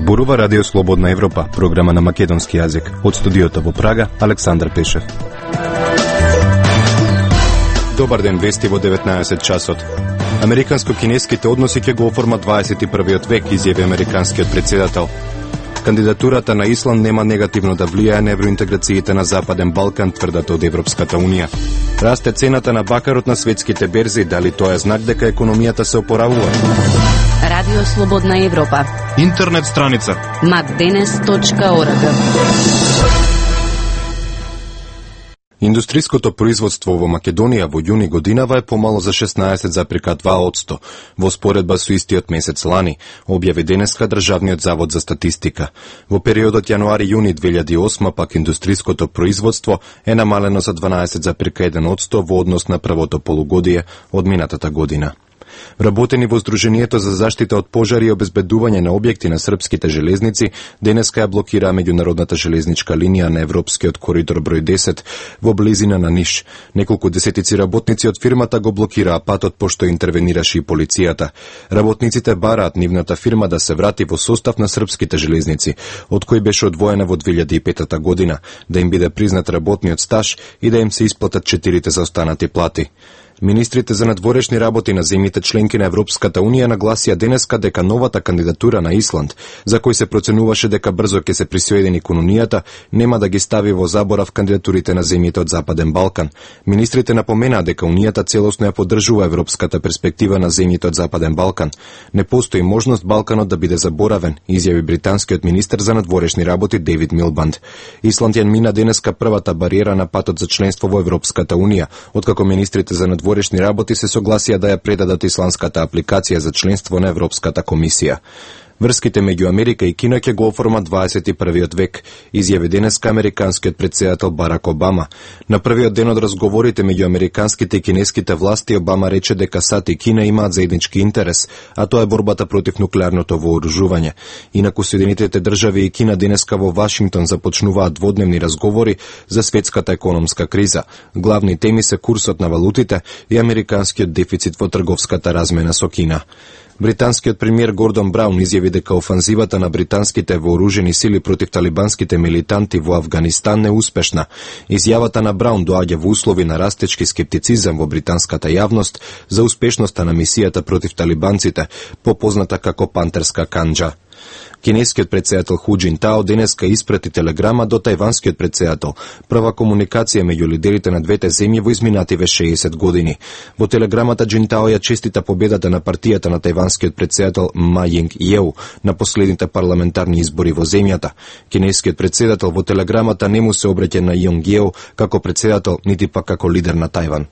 Зборува Радио Слободна Европа, програма на македонски јазик. Од студиото во Прага, Александар Пешев. Добар ден, вести во 19 часот. Американско-кинеските односи ќе го оформат 21 век, изјави американскиот претседател. Кандидатурата на Исланд нема негативно да влијае на евроинтеграциите на Западен Балкан, тврдат од Европската Унија. Расте цената на бакарот на светските берзи, дали тоа е знак дека економијата се опоравува? Радио Слободна Европа. Интернет страница macdenes.org. Индустриското производство во Македонија во јуни годинава е помало за 16,2%, во споредба со истиот месец лани, објави денеска Државниот завод за статистика. Во периодот јануари-јуни 2008 пак индустриското производство е намалено за 12,1% во однос на првото полугодие од минатата година. Вработени во Сдруженијето за заштита од пожари и обезбедување на објекти на српските железници денеска ја блокираа меѓународната железничка линија на Европскиот коридор број 10 во близина на Ниш. Неколку десетици работници од фирмата го блокираа патот пошто интервенираше и полицијата. Работниците бараат нивната фирма да се врати во состав на српските железници, од кој беше одвоена во 2005 година, да им биде признат работниот стаж и да им се исплатат 4 заостанати плати. Министрите за надворешни работи на земјите членки на Европската Унија нагласија денеска дека новата кандидатура на Исланд, за кој се проценуваше дека брзо ќе се присоедини кон Унијата, нема да ги стави во заборав кандидатурите на земјите од Западен Балкан. Министрите напоменаа дека Унијата целосно ја поддржува европската перспектива на земјите од Западен Балкан. Не постои можност Балканот да биде заборавен, изјави британскиот министер за надворешни работи Дейвид Милбанд. Исланд ја мина денеска првата бариера на патот за членство во Европската Унија, откако министрите за надворешни работи се согласија да ја предадат исландската апликација за членство на Европската комисија. Врските меѓу Америка и Кина ќе го оформат 21 век, изјави денеска американскиот претседател Барак Обама. На првиот ден од разговорите меѓу американските и кинеските власти, Обама рече дека САД и Кина имаат заеднички интерес, а тоа е борбата против нуклеарното вооружување. Инаку Соединетите држави и Кина денеска во Вашингтон започнуваат дводневни разговори за светската економска криза. Главни теми се курсот на валутите и американскиот дефицит во трговската размена со Кина. Британскиот премиер Гордон Браун изјави дека офанзивата на британските вооружени сили против талибанските милитанти во Авганистан е успешна. Изјавата на Браун доаѓа во услови на растечки скептицизам во британската јавност за успешноста на мисијата против талибанците, попозната како Пантерска канџа. Кинескиот претседател Ху Џинтао денеска испрати телеграма до тајванскиот претседател, прва комуникација меѓу лидерите на двете земји во изминативе 60 години. Во телеграмата Џинтао ја честита победата на партијата на тајванскиот претседател Ма Јинг Јеу на последните парламентарни избори во земјата. Кинескиот претседател во телеграмата не му се обраќа на Јинг Јеу како претседател, нити пак како лидер на Тајван.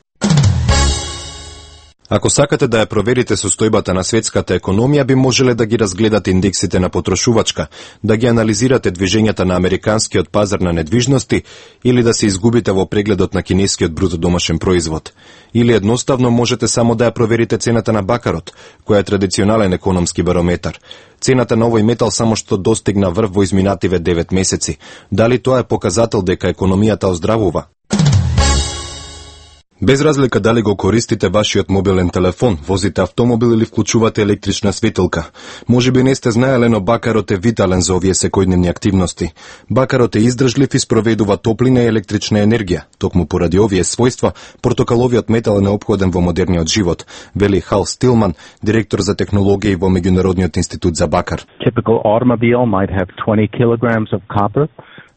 Ако сакате да ја проверите состојбата на светската економија, би можеле да ги разгледате индексите на потрошувачка, да ги анализирате движењата на американскиот пазар на недвижности или да се изгубите во прегледот на кинескиот бруто домашен производ. Или едноставно можете само да ја проверите цената на бакарот, која е традиционален економски барометар. Цената на овој метал само што достигна врв во изминативе 9 месеци. Дали тоа е показател дека економијата оздравува? Без разлика дали го користите вашиот мобилен телефон, возите автомобил или вклучувате електрична светилка, можеби не сте знаеле, но бакарот е витален за овие секојдневни активности. Бакарот е издржлив и спроведува топлина и електрична енергија. Токму поради овие својства, портокаловиот метал е неопходен во модерниот живот, вели Хал Стилман, директор за технологија во Меѓународниот институт за бакар. Typical automobile might have 20 kilograms of copper.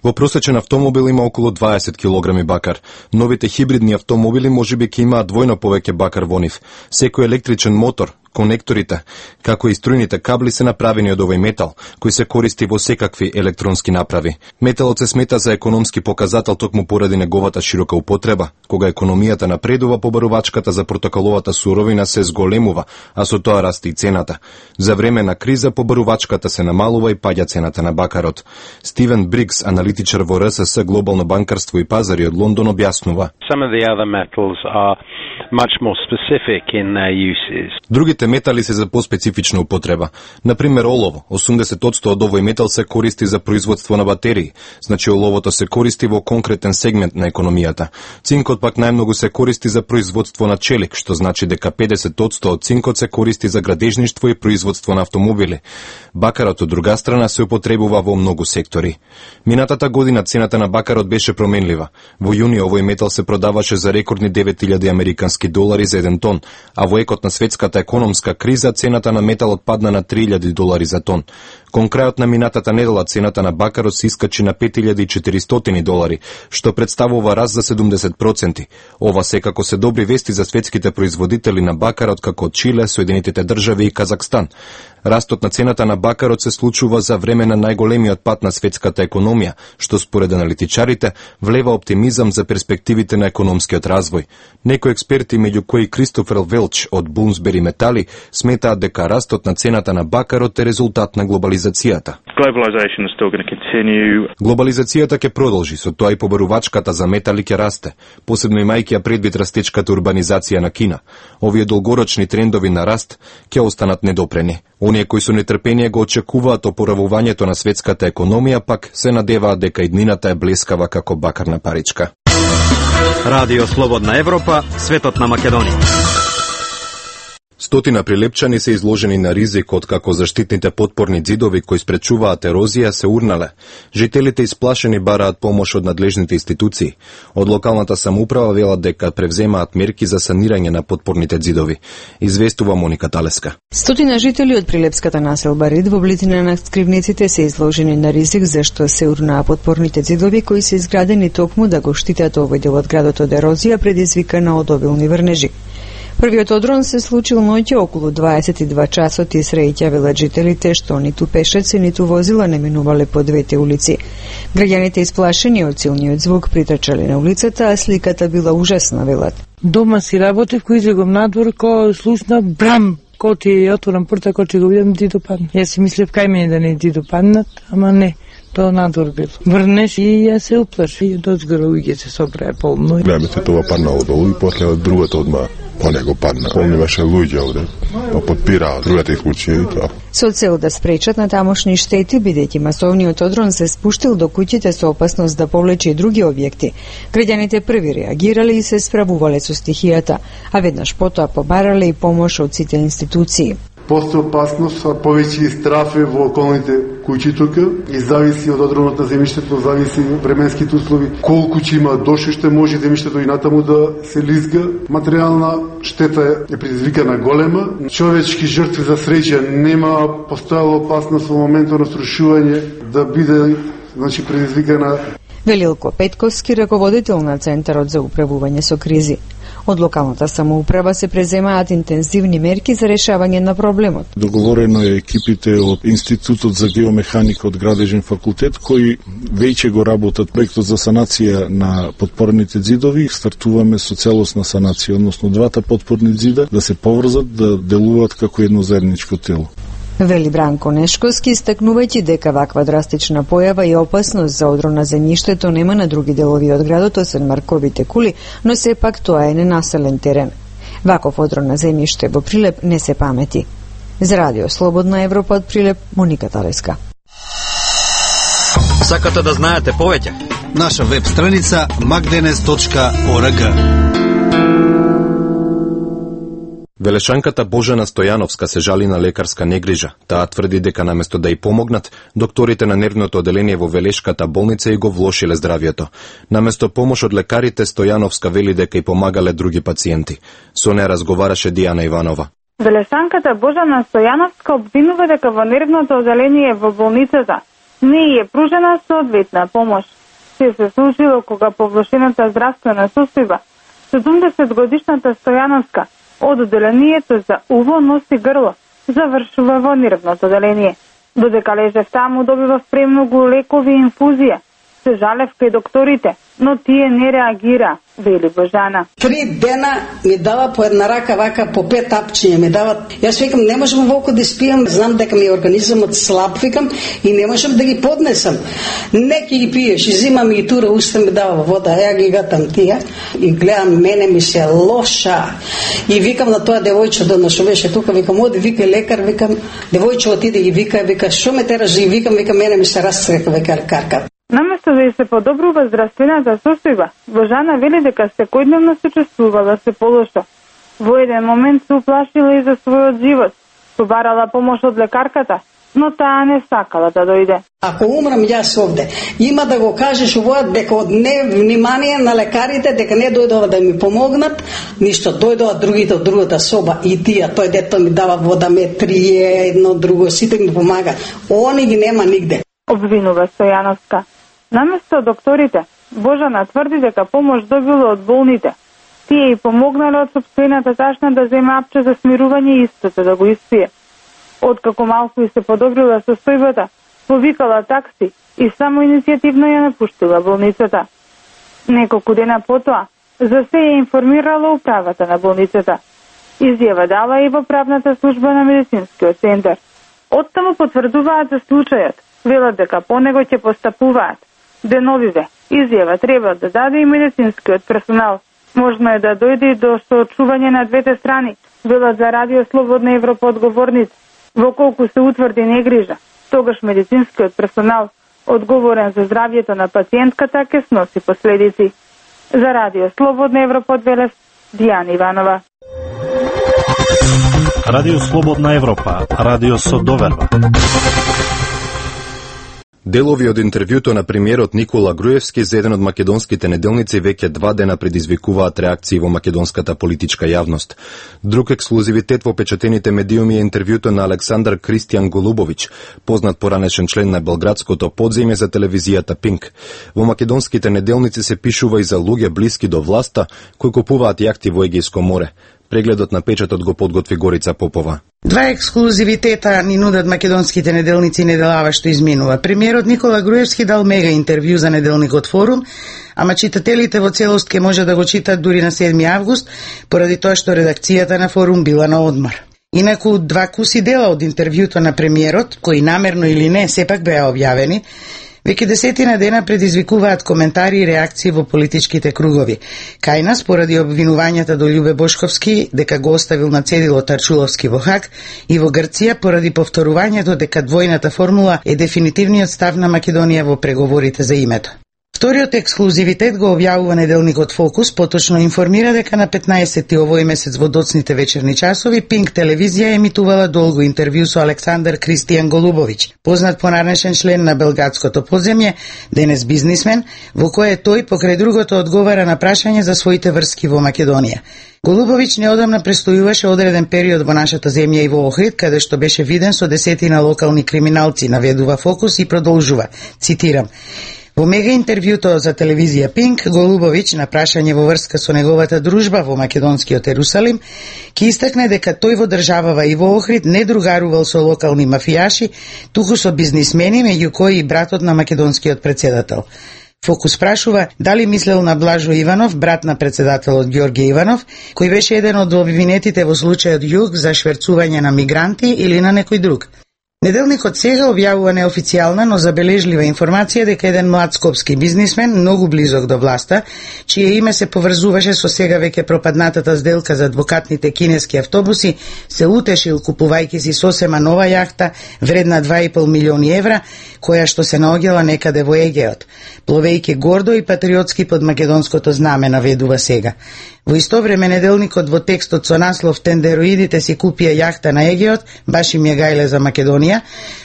Во просечен автомобил има околу 20 килограми бакар. Новите хибридни автомобили можеби ќе имаат двојно повеќе бакар во нив. Секој електричен мотор, конекторите, како и струјните кабли се направени од овој метал, кој се користи во секакви електронски направи. Металот се смета за економски показател токму поради неговата широка употреба. Кога економијата напредува, побарувачката за портокаловата суровина се зголемува, а со тоа расте и цената. За време на криза побарувачката се намалува и паѓа цената на бакарот. Стивен Бригс, аналитичар во РСС Глобално банкарство и пазари од Лондон, објаснува. Some of the other metals are much more specific in their uses. Другите метали се за поспецифична употреба. Например, олово. 80% од овој метал се користи за производство на батерии. Значи оловото се користи во конкретен сегмент на економијата. Цинкот пак најмногу се користи за производство на челик, што значи дека 50% од цинкот се користи за градежништво и производство на автомобили. Бакарот од друга страна се употребува во многу сектори. Минатата година цената на бакарот беше променлива. Во јуни овој метал се продаваше за рекордни 9000 американски долари за 1 тон, а во екот на светската економска криза цената на металот падна на 3000 долари за тон. Кон крајот на минатата недела цената на бакарот се искачи на 5400 долари, што представува раст за 70%. Ова секако се добри вести за светските производители на бакарот како Чиле, Соединетите држави и Казахстан. Растот на цената на бакарот се случува за време на најголемиот пат на светската економија, што според аналитичарите влева оптимизам за перспективите на економскиот развој. Некои експерти, меѓу кои Кристофер Велч од Bloomsbury Метали, сметаат дека растот на цената на бакарот е резултат на глобализацијата. Глобализацијата ќе продолжи, со тоа и побарувачката за метали ќе расте, посебно имајќи ја предвид растечката урбанизација на Кина. Овие долгорочни трендови на раст ќе останат недопрени. Оние кои со нетрпение го очекуваат опоравувањето на светската економија, пак се надеваат дека иднината е блескава како бакарна паричка. Радио Слободна Европа, светот на Македонија. Стотина прилепчани се изложени на ризик од како заштитните потпорни ѕидови кои спречуваат ерозија се урнале. Жителите исплашени бараат помош од надлежните институции. Од локалната самоуправа велат дека превземаат мерки за санирање на потпорните ѕидови. Известува Моника Талеска. Стотина жители од прилепската населба Рид во близина на скривниците се изложени на ризик зашто се урнаа потпорните ѕидови кои се изградени токму да го штитат овој дел од градот од ерозија предизвикана од обилни врнежи. Првиот одрон се случил ноќе околу 22 часот и среќа велат жителите што ниту пешаци, ниту возила не минувале по двете улици. Граѓаните исплашени од силниот звук притрчале на улицата, а сликата била ужасна, велат. Дома си работев, кој излегом надвор, ко слушна брам, ко ти ја отворам порта, ко ти го видам ди допадна. Јас си мислев кај мене да не ди допаднат, ама не. Тоа надвор бил. Врнеш и ја се уплаши и дозгора уѓе се собрае полно. Гледаме тоа паднало долу и после другото одма по него падна. Помниваше луѓе овде, па подпираат другата исклучија и тоа. Со цел да спречат на тамошни штети, бидејќи масовниот одрон се спуштил до куќите со опасност да повлече и други објекти, граѓаните први реагирале и се справувале со стихијата, а веднаш потоа побарале и помош од сите институции. Постои опасност, а повеќе и страфе во околните куќи тука и зависи од одронот на земјиштето, зависи временските услови, колку ќе има дошиште, може земјиштето и натаму да се лизга. Материјална штета е предизвикана голема, човечки жртви за среќа нема, постојала опасност во моментот на срушување да биде предизвикана. Велилко Петковски, раководител на Центарот за управување со кризи. Од локалната самоуправа се преземаат интензивни мерки за решавање на проблемот. Договорено е екипите од Институтот за геомеханика од Градежен факултет, кои веќе го работат проектот за санација на потпорните ѕидови. Стартуваме со целосна санација, односно двата потпорни ѕида да се поврзат, да делуваат како едно заедничко тело. Вели Бранко Нешковски, истакнувајќи дека ваква драстична појава и опасност за одрон на земјиштето нема на други делови од градот, освен Марковите кули, но сепак тоа е ненаселен терен. Ваков одрон на земјиште во Прилеп не се памети. За Радио Слободна Европа од Прилеп, Моника Талеска. Сакате да знаете повеќе? Наша веб страница magdenes.org. Велешанката Божана Стојановска се жали на лекарска негрижа. Таа тврди дека наместо да ја помогнат, докторите на нервното оделение во Велешката болница и го влошиле здравието. Наместо помош од лекарите, Стојановска вели дека и помагале други пациенти. Со неа разговараше Дијана Иванова. Велешанката Божана Стојановска обвинува дека во нервното оделение во болницата не е пружена соодветна помош. Се случило кога по влошената здравствена состојба 70-годишната Стојановска од оделението за уво, нос и грло завршува во нервното оделение. Додека лежев таму, добивав премногу лекови и инфузија. Се жалев кај докторите, но тие не реагира, вели Божана. 3 дена ми дава по една рака вака по 5 апчиња ми дават. Јас викам не можам волку да спијам, знам дека ми организмот слаб, викам и не можам да ги поднесам. Неки ги пиеш, и зимам и тура уста ми дава вода, ја ги гатам тие и гледам мене ми се лоша. И викам на тоа девојче дона што беше тука, викам оди вика лекар, викам девојче отиде и вика што ме тераш, и викам мене ми се расцрека века лекарка. Наместо да се подобрува здравствената состојба, Божана вели дека секојдневно се чувствувала се полошо. Во еден момент се уплашила и за својот живот. Побарала помош од лекарката, но таа не сакала да дојде. Ако умрам јас овде, има да го кажеш овој дека од невнимание на лекарите, дека не дојдова да ми помогнат, ништо, дојдова другите од другата соба и тие, тој дето ми дава вода, ме трие, едно друго, сите ми помага. Они ги нема нигде. Обвинува Стојановска. Наместо докторите, Божана тврди дека помош добила од болните. Тие и помогнале од сопствената ташна да земе апче за смирување и истото да го испие. Откако малку и се подобрила состојбата, повикала такси и само иницијативно ја напуштила болницата. Неколку дена потоа, за се ја информирала управата на болницата. Изјава дала и во правната служба на медицинскиот центар. Оттаму потврдуваат за случајот, велат дека по него ќе постапуваат. Деновиве, изјава треба да даде и медицинскиот персонал. Можно е да дојде и до соочување на двете страни, велат за Радио Слободна Европа одговорници. Во колку се утврди негрижа, тогаш медицинскиот персонал, одговорен за здравјето на пациентката, ќе сноси последици. За Радио Слободна Европа од Велес, Дијана Иванова. Радио Слободна Европа, радио со доверба. Делови од интервјуто на премиерот Никола Груевски за еден од македонските неделници веќе 2 дена предизвикуваат реакции во македонската политичка јавност. Друг ексклузивитет во печатените медиуми е интервјуто на Александар Кристијан Голубовиќ, познат поранешен член на белградското подземје за телевизијата Пинк. Во македонските неделници се пишува и за луѓе блиски до власта кои купуваат јахти во Егејско море. Прегледот на печатот го подготви Горица Попова. 2 ексклузивитета ни нудат македонските неделници неделава што изминува. Премиерот Никола Груевски дал мега интервју за неделникот Форум, ама читателите во целост ке може да го читат дури на 7 август, поради тоа што редакцијата на Форум била на одмор. Инаку 2 куси дела од интервјуто на премиерот, кои намерно или не сепак беа објавени, веќе 10 дена предизвикуваат коментари и реакции во политичките кругови. Кај нас, поради обвинувањата до Љубе Бошковски дека го оставил на цедило Тарчуловски во Хаг, и во Грција поради повторувањето дека двојната формула е дефинитивниот став на Македонија во преговорите за името. Вториот ексклузивитет го објавува неделникот Фокус, поточно информира дека на 15 овој месец во доцните вечерни часови Пинк телевизија емитувала долго интервју со Александар Кристијан Голубовиќ, познат поранешен член на белградското подземје, денес бизнисмен, во кое тој покрај другото одговара на прашање за своите врски во Македонија. Голубовиќ неодамна престојуваше одреден период во нашата земја и во Охрид, каде што беше виден со десетина локални криминалци, наведува Фокус и продолжува, цитирам: Во мега интервјуто за телевизија Пинк, Голубовиќ на прашање во врска со неговата дружба во македонскиот Ерусалим, ќе истакне дека тој во државава и во Охрид не другарувал со локални мафијаши, туку со бизнисмени, меѓу кои и братот на македонскиот председател. Фокус прашува дали мислел на Блажо Иванов, брат на председателот Ѓорѓе Иванов, кој беше еден од обвинетите во случајот Југ за шверцување на мигранти, или на некој друг. Неделникот Сега објавува неофицијална, но забележлива информација дека еден млад скопски бизнисмен, многу близок до власта, чие име се поврзуваше со сега веќе пропаднатата сделка за двокатните кинески автобуси, се утешил купувајќи си сосема нова јахта вредна 2,5 милиони евра, која што се наоѓала некаде во Егеот, пловејќи гордо и патриотски под македонското знаме, наведува Сега. Во исто време неделникот во текстот со наслов "Тендероидите си купија јахта на Егеот, баш им ја гајле за Македонија",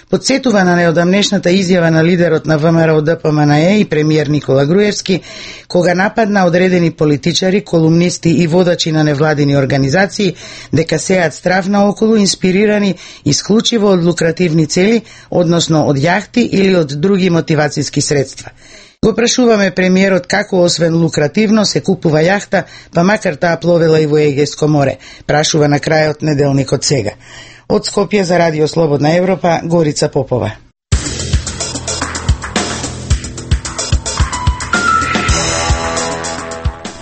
подсетува на неодамнешната изјава на лидерот на ВМРО ДПМНЕ и премиер Никола Груевски, кога нападна одредени политичари, колумнисти и водачи на невладини организации дека сеат страв наоколу, инспирирани исклучиво од лукративни цели, односно од јахти или од други мотивацијски средства. Го прашуваме премиерот како освен лукративно се купува јахта, па макар таа пловела и во Егејско море, прашува на крајот неделникот Сега. Од Скопје за Радио Слободна Европа, Горица Попова.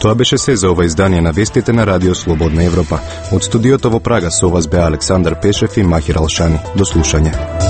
Тоа беше се за ова издание на вестите на Радио Слободна Европа. Од студиото во Прага со вас беа Александар Пешев и Махир Алшани. До слушање.